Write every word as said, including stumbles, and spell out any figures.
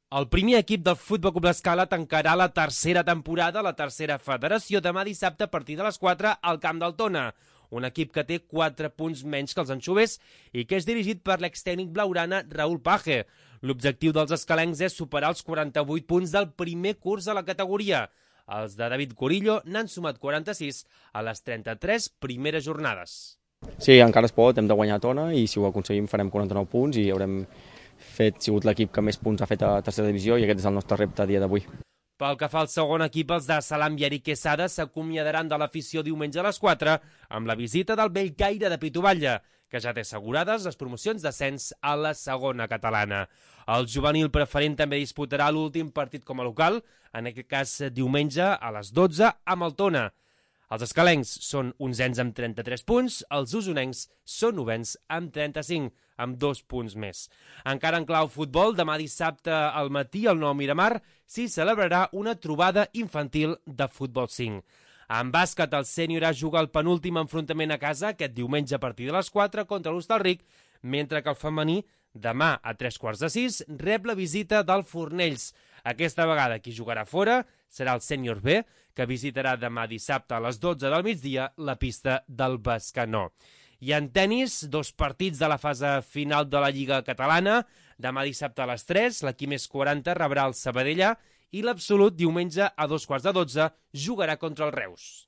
El primer equip del Futbol Club L'Escala tancarà la tercera temporada a la tercera federació demà dissabte a partir de les quatre al camp del Tona. Un equip que té quatre punts menys que els anxovers i que és dirigit per l'extècnic blaurana Raúl Paje. L'objectiu dels escalencs és superar els quaranta-vuit punts del primer curs a la categoria. Els de David Corillo n'han sumat quaranta-sis a les trenta-tres primeres jornades. Sí, encara es pot, hem de guanyar a Tona i si ho aconseguim farem quaranta-nou punts i haurem fet, sigut l'equip que més punts ha fet a tercera divisió i aquest és el nostre repte a dia d'avui. Pel que fa al segon equip, els de Salam i Eric Quesada s'acomiadaran de l'afició diumenge a les quatre amb la visita del Bellcaire de Pituballa, que ja té assegurades les promocions d'ascens a la segona catalana. El juvenil preferent també disputarà l'últim partit com a local, en aquest cas diumenge a les dotze amb el Tona. Els escalencs són onzens amb trenta-tres punts, els usonencs són novens amb trenta-cinc, amb dos punts més. Encara en clau futbol, demà dissabte al matí al Nou Miramar s'hi celebrarà una trobada infantil de futbol cinc. En bàsquet, el sènior A juga el penúltim enfrontament a casa aquest diumenge a partir de les quatre contra l'Hostalric, mentre que el femení, demà a tres quarts de sis, rep la visita del Fornells. Aquesta vegada qui jugarà fora serà el sènior B, que visitarà demà dissabte a les dotze del migdia la pista del Bescanó. I en tennis, dos partits de la fase final de la Lliga Catalana. Demà dissabte a les tres, l'equip més quaranta rebrà el Sabadell i l'Absolut diumenge a dos quarts de dotze jugarà contra el Reus.